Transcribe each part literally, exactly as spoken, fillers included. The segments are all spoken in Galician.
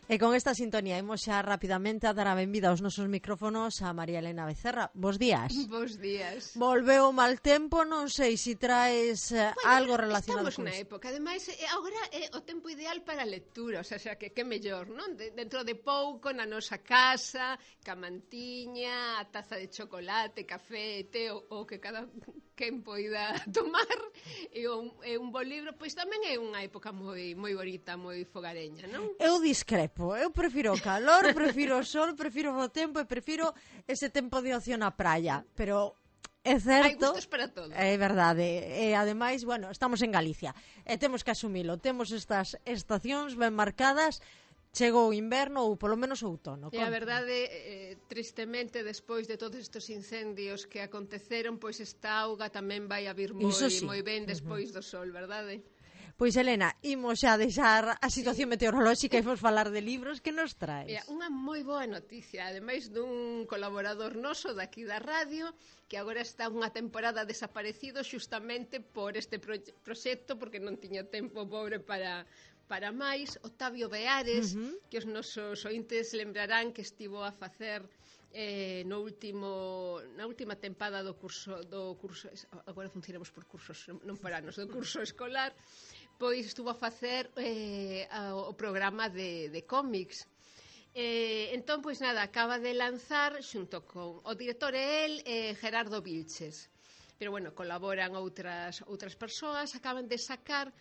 E con esta sintonía imos xa rapidamente a dar a benvida aos nosos micrófonos a María Elena Becerra. Bos días. Bos días. Volveu o mal tempo, non sei se si traes eh, bueno, algo relacionado con con isto. Estamos na época, ademais, agora é o tempo ideal para a lectura, o sea, xa que que mellor, non? De, dentro de pouco, na nosa casa, ca mantiña, a taza de chocolate, café, té, o, o que cada quen poida tomar, e un, e un bon libro, pois tamén é unha época moi moi bonita, moi fogareña, non? Eu discrepo, eu prefiro o calor, prefiro o sol, prefiro o tempo e prefiro ese tempo de ocio na praia, pero é certo, hai gustos para todo. É verdade, e ademais, bueno, estamos en Galicia e temos que asumilo, temos estas estacións ben marcadas. Chegou o inverno ou polo menos o outono. E a verdade, eh, tristemente, despois de todos estes incendios que aconteceron, pois esta auga tamén vai a vir moi, sí. moi ben despois uh-huh. do sol, verdade? Pois, Elena, imos xa deixar a situación sí. meteorolóxica e imos falar de libros. Que nos traes? Mira, unha moi boa noticia, ademais dun colaborador noso daqui da radio, que agora está unha temporada desaparecido xustamente por este pro proxecto, porque non tiña tempo pobre para... para máis, Octavio Beares, uh-huh. que os nosos ointes lembrarán que estivo a facer eh, no último na última tempada do curso do curso agora funcionamos por cursos, non por anos, do curso escolar, pois estuvo a facer eh, a, o programa de, de cómics. Eh, entón, pois nada, acaba de lanzar xunto con o director e el, eh, Gerardo Vilches. Pero bueno, colaboran outras outras persoas, acaban de sacar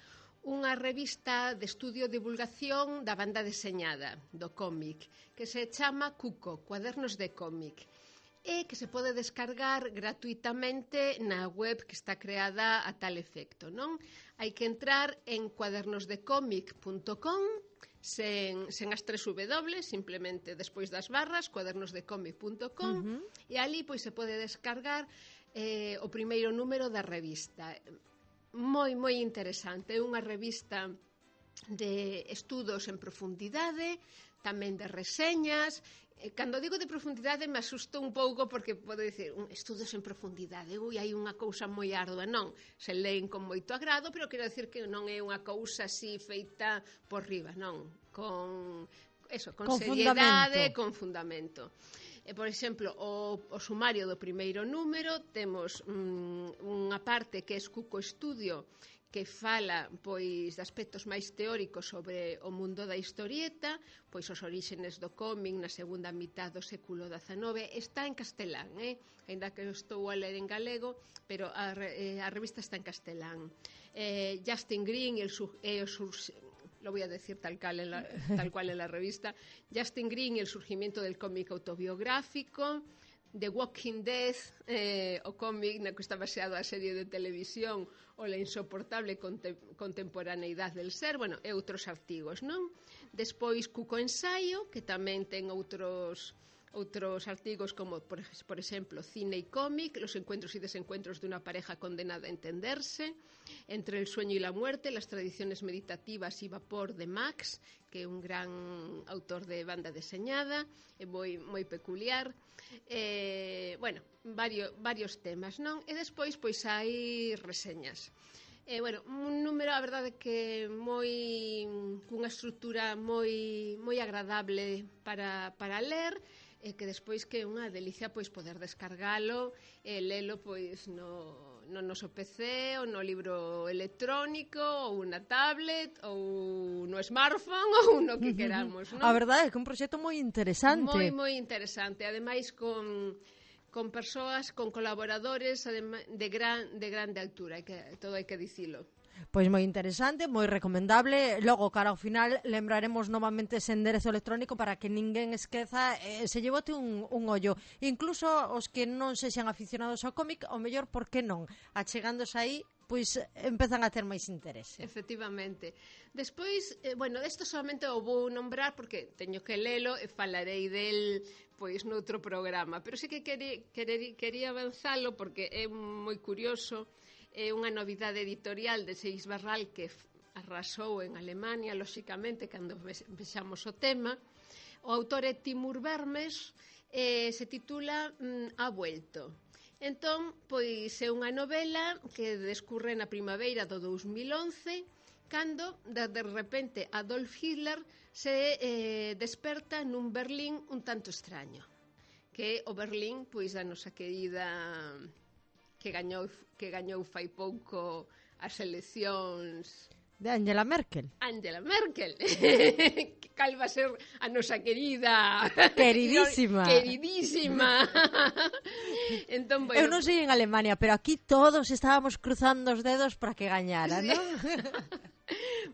unha revista de estudio e divulgación da banda deseñada do cómic, que se chama Cuco, Cuadernos de cómic, e que se pode descargar gratuitamente na web que está creada a tal efecto, non? Hai que entrar en cuadernos de cómic punto com, sen, sen as tres W, simplemente despois das barras, cuadernos de cómic punto com, uh-huh. e ali pois se pode descargar eh, o primeiro número da revista. Moi, moi interesante, é unha revista de estudos en profundidade, tamén de reseñas. Cando digo de profundidade me asusto un pouco porque podo dicir, un estudos en profundidade, ui, hai unha cousa moi ardua, non, se leen con moito agrado, pero quero dicir que non é unha cousa así feita por riba, non, con, eso, con, con seriedade, fundamento. con fundamento. E, por exemplo, o, o sumario do primeiro número temos mm, unha parte que é Cuco Estudio, que fala pois de aspectos máis teóricos sobre o mundo da historieta, pois os oríxenes do cómic na segunda mitad do século dezenove. Está en castelán, eh? Ainda que estou a ler en galego, pero a, eh, a revista está en castelán. Eh, Justin Green e, el, e os lo voy a decir tal cual en la, tal cual en la revista, Justin Green y el surgimiento del cómic autobiográfico, The Walking Dead, eh, o cómic na que está baseado a serie de televisión, o la insoportable contem contemporaneidad del ser, bueno, e outros artigos, non? Despois Cuco Ensaio, que tamén ten outros... outros artigos como, por, por exemplo, Cine y cómic, los encuentros y desencuentros de una pareja condenada a entenderse, Entre el sueño y la muerte, las tradiciones meditativas y vapor de Max, que é un gran autor de banda deseñada, é moi, moi peculiar. Eh, bueno, varios, varios temas, non? E despois, pois, hai reseñas. Eh, bueno, un número, a verdade, que moi cunha estrutura moi, moi agradable para, para ler, e que despois que é unha delicia pois poder descargalo e lelo pois no, no noso P C ou no libro electrónico ou na tablet ou no smartphone ou no que queramos, non? A verdade é que é un proxecto moi interesante. Moi, moi interesante, ademais con con persoas, con colaboradores de gran de grande altura, hai que todo hai que dicilo. Pois moi interesante, moi recomendable. Logo, cara ao final, lembraremos novamente ese enderezo electrónico para que ninguén esqueza eh, se lle bote un, un ollo. Incluso os que non sexan aficionados ao cómic, o mellor, por que non? Achegándose aí, pois empezan a ter máis interese. Efectivamente. Despois, eh, bueno, isto solamente o vou nombrar porque teño que lelo e falarei del pois noutro programa, pero sí que quería, quería avanzalo porque é moi curioso. É unha novidade editorial de Seix Barral que arrasou en Alemania, lóxicamente, cando vexamos o tema. O autor é Timur Vermes, eh, se titula mm, Ha vuelto. Entón, pois é unha novela que descurre na primavera do dous mil once cando de, de repente Adolf Hitler se eh, desperta nun Berlín un tanto extraño, que o Berlín, pois a nosa querida que gañou que gañou fai pouco as eleccións de Angela Merkel. Angela Merkel. Cal va a ser a nosa querida queridísima. Queridísima. Entón, bueno, eu non sei en Alemania, pero aquí todos estábamos cruzando os dedos para que gañara, sí. Non?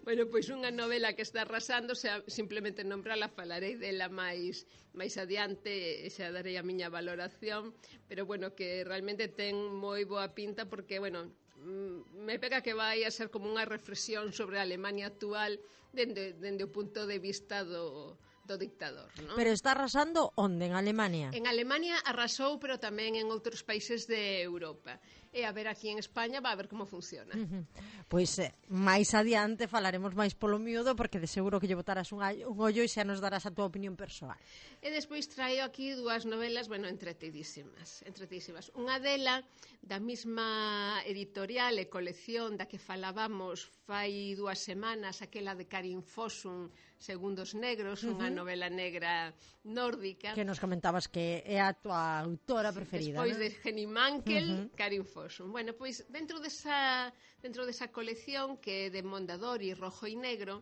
Bueno, pois unha novela que está arrasando, xa, simplemente nombrala, falarei dela máis máis adiante, xa darei a miña valoración, pero bueno, que realmente ten moi boa pinta porque, bueno, me pega que vai a ser como unha reflexión sobre a Alemania actual dende, dende o punto de vista do, do dictador, ¿no? Pero está arrasando onde? En Alemania? En Alemania arrasou, pero tamén en outros países de Europa. E a ver aquí en España va a ver como funciona. Uh-huh. Pois eh, máis adiante falaremos máis polo miúdo, porque de seguro que lle botarás un, un ollo e xa nos darás a túa opinión persoal. E despois traio aquí dúas novelas, bueno, entretidísimas, entretidísimas. Unha dela, da mesma editorial e colección da que falábamos fai dúas semanas, aquela de Karin Fossum, Segundos Negros, uh-huh. unha novela negra nórdica. Que nos comentabas que é a tua autora preferida, despois ¿no? de Henny Mankell, uh-huh. Karin Fossum. Bueno, pois dentro desa, dentro desa colección que é de Mondadori, rojo e negro,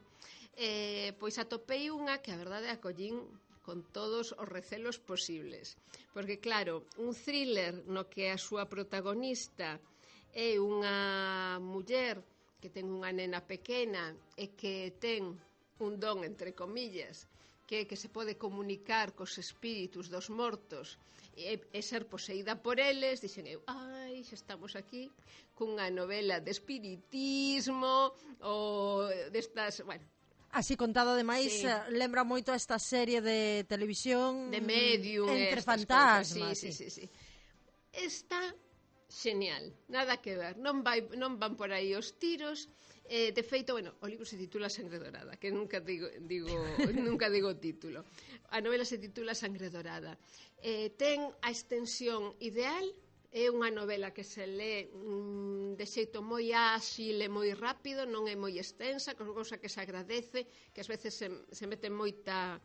eh, pois atopei unha que a verdade acollín con todos os recelos posibles. Porque claro, un thriller no que a súa protagonista é unha muller que ten unha nena pequena e que ten un don, entre comillas, que, que se pode comunicar cos espíritus dos mortos e, e ser poseída por eles, dixen eu, ai, xa estamos aquí cunha novela de espiritismo ou destas, bueno, así contado, ademais, sí. Lembra moito a esta serie de televisión de Medium, Entre fantasmas. Sí, sí, sí, sí. Está genial, nada que ver, non, vai, non van por aí os tiros. Eh, de feito, bueno, o libro se titula Sangre Dorada, que nunca digo, digo, nunca digo título. A novela se titula Sangre Dorada. Eh, ten a extensión ideal, é unha novela que se lee mm, de xeito moi áxil e moi rápido, non é moi extensa, cousa que se agradece, que ás veces se, se mete moita...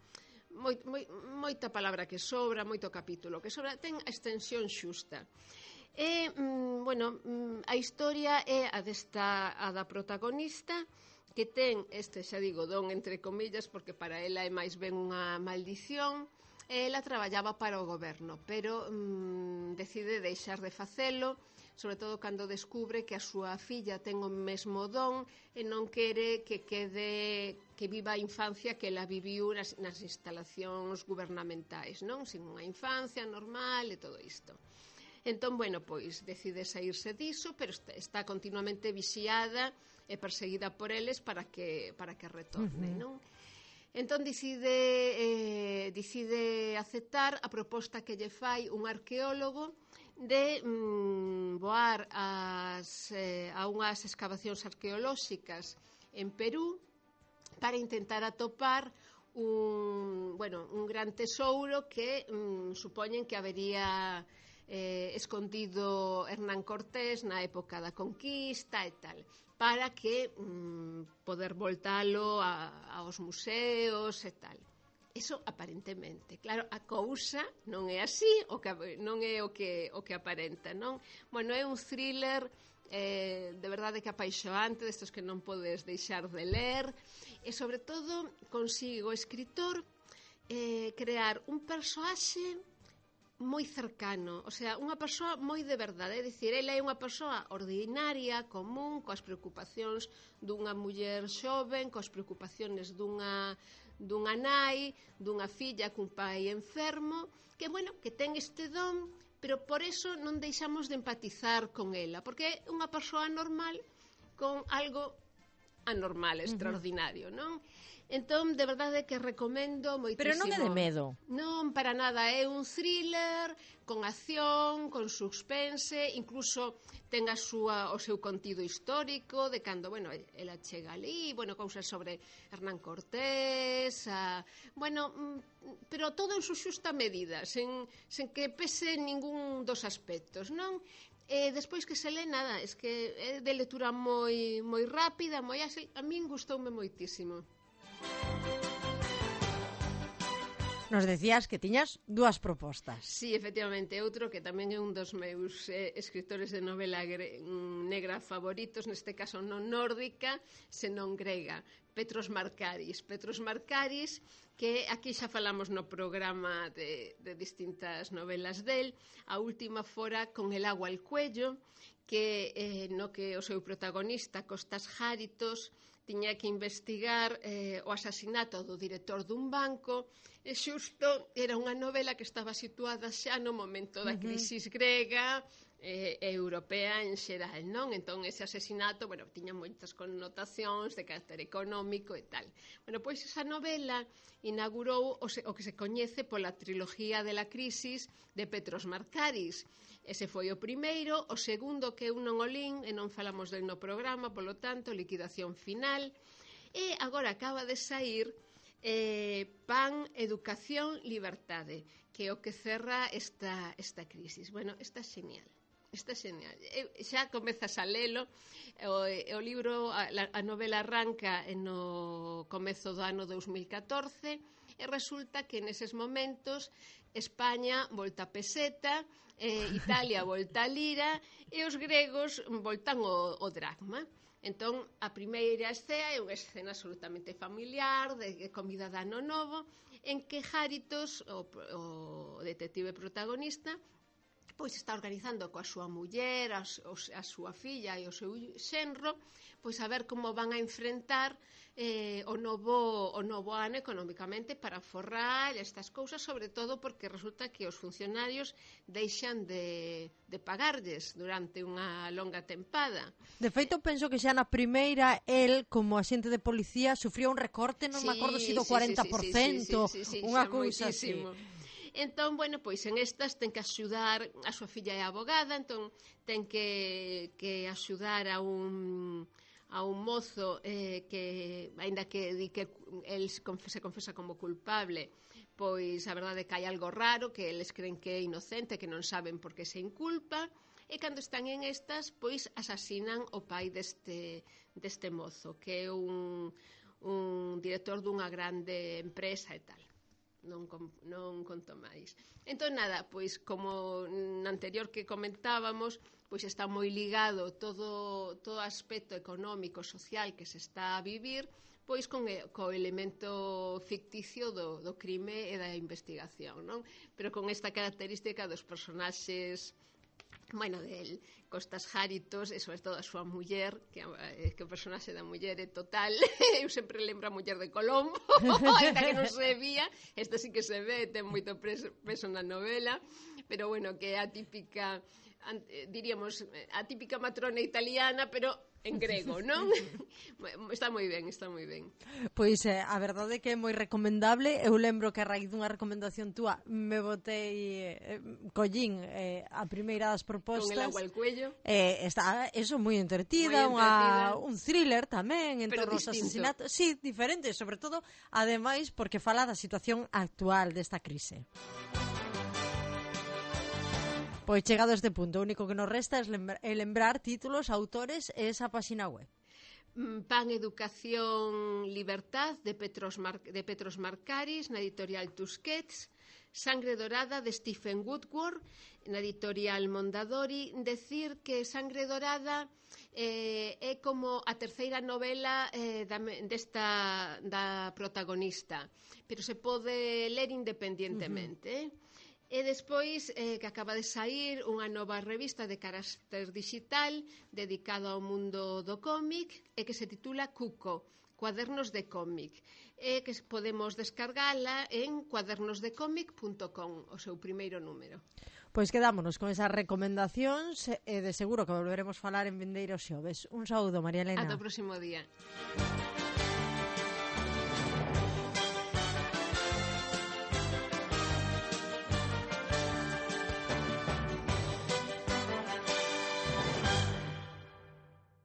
Moi, moi, moita palabra que sobra, moito capítulo que sobra, ten a extensión xusta. E, mm, bueno, mm, a historia é a desta a da protagonista que ten este, xa digo, don entre comillas, porque para ela é máis ben unha maldición. Ela traballaba para o goberno, pero mm, decide deixar de facelo, sobre todo cando descubre que a súa filla ten o mesmo don e non quere que quede que viva a infancia que ela viviu nas, nas instalacións gubernamentais, non? Sin unha infancia normal e todo isto. Entón, bueno, pois decide saírse diso, pero está, está continuamente vixiada e perseguida por eles para que para que retorne, uh-huh. non? Entón decide eh, decide aceptar a proposta que lle fai un arqueólogo de mm, voar as, eh, a unhas excavacións arqueolóxicas en Perú para intentar atopar un, bueno, un gran tesouro que mm, supoñen que habería eh, escondido Hernán Cortés na época da conquista e tal, para que mm, poder voltalo a, aos museos e tal. Eso aparentemente. Claro, a cousa non é así, o que, non é o que, o que aparenta, non? Bueno, é un thriller eh, de verdade que apaixoante, destos que non podes deixar de ler, e sobre todo consigo o escritor eh, crear un persoaxe moi cercano, o sea, unha persoa moi de verdade, é dicir, ela é unha persoa ordinaria, común, coas preocupacións dunha muller xoven, coas preocupacións dunha dunha nai, dunha filla cun pai enfermo, que, bueno, que ten este don, pero por eso non deixamos de empatizar con ela, porque é unha persoa normal con algo anormal, extraordinario, non? Entón, de verdade que recomendo moitísimo. Pero non é de medo. Non, para nada, é un thriller con acción, con suspense, incluso ten a súa, o seu contido histórico de cando, bueno, ela chega ali, bueno, cousas sobre Hernán Cortés, a, bueno, pero todo en su xusta medida, sen, sen que pese ningún dos aspectos, non? E despois que se lê, nada, es que é de lectura moi moi rápida, moi áxil, a min gustoume moitísimo. Nos decías que tiñas dúas propostas. Sí, efectivamente, outro que tamén é un dos meus eh, escritores de novela gre negra favoritos, neste caso non nórdica, senón grega, Petros Markaris. Petros Markaris, que aquí xa falamos no programa de, de distintas novelas del, a última fora Con el agua al cuello, que eh, no que o seu protagonista, Costas Járitos, tiña que investigar eh, o asasinato do director dun banco, e xusto era unha novela que estaba situada xa no momento da crisis grega e eh, europea en xeral, non? Entón, ese asesinato, bueno, tiña moitas connotacións de carácter económico e tal. Bueno, pois esa novela inaugurou o, se, o que se coñece pola trilogía de la crisis de Petros Markaris. Ese foi o primeiro, o segundo que eu non o lín, e non falamos del no programa, polo tanto, Liquidación Final, e agora acaba de sair eh, Pan, Educación, Libertade, que é o que cerra esta, esta crisis. Bueno, está xenial. Está xenial. Eu, xa comezas a lelo, o, o libro, a, a novela arranca no comezo do ano dous mil catorce, e resulta que neses momentos España volta a peseta, eh, Italia volta a lira e os gregos voltan o, o dracma. Entón, a primeira escena é unha escena absolutamente familiar, de comida de ano novo, en que Járitos, o, o detective protagonista, pois está organizando coa súa muller, a, a súa filla e o seu xenro, pois a ver como van a enfrentar eh, o, novo, o novo ano económicamente para forrar estas cousas, sobre todo porque resulta que os funcionarios deixan de, de pagarlles durante unha longa tempada. De feito, penso que xa na primeira, el, como agente de policía, sufrió un recorte, non sí, me acordo se do sí, cuarenta por cento, sí, sí, sí, sí, unha sí, cousa así. Entón, bueno, pois en estas ten que axudar, a súa filla é abogada, entón ten que, que axudar a un, a un mozo eh, que, aínda que di que el se confesa, se confesa como culpable, pois a verdade é que hai algo raro, que eles creen que é inocente, que non saben por que se inculpa, e cando están en estas, pois asasinan o pai deste, deste mozo, que é un, un director dunha grande empresa e tal. Non, non conto máis. Entón, nada, pois como na anterior que comentábamos, pois está moi ligado todo todo aspecto económico, social que se está a vivir, pois con co elemento ficticio do, do crime e da investigación, non? Pero con esta característica dos personaxes, bueno, del Costas Járitos e sobre todo a súa muller, que, que o personaxe da muller é total, eu sempre lembro a muller de Colombo, ainda que non se vía, esta sí que se ve, ten moito peso na novela, pero bueno, que é a típica, diríamos, a típica matrona italiana, pero en grego, non? Está moi ben, está moi ben. Pois eh, a verdade é que é moi recomendable. Eu lembro que a raíz dunha recomendación túa me botei eh, collín eh, a primeira das propostas. Con el agua al cuello. Eh, está eso moi entretida, moi entretida. Unha, un thriller tamén en pero torno aos distinto. asesinatos. Sí, diferente, sobre todo, ademais, porque fala da situación actual desta crise. Pois chegado a este punto, o único que nos resta é lembrar, é lembrar títulos, autores e esa página web. Pan, Educación, Libertad, de Petros, Mar de Petros Markaris, na editorial Tusquets. Sangre Dorada, de Stephen Woodward, na editorial Mondadori. Decir que Sangre Dorada eh, é como a terceira novela eh, da, desta, da protagonista, pero se pode ler independientemente, uh -huh. eh? E despois eh, que acaba de sair unha nova revista de carácter digital dedicado ao mundo do cómic e que se titula Cuco, Cuadernos de cómic, e que podemos descargala en cuadernos de cómic punto com, o seu primeiro número. Pois quedámonos con esas recomendacións e de seguro que volveremos falar en vindeiros xoves. Un saúdo, María Elena. Ata o próximo día.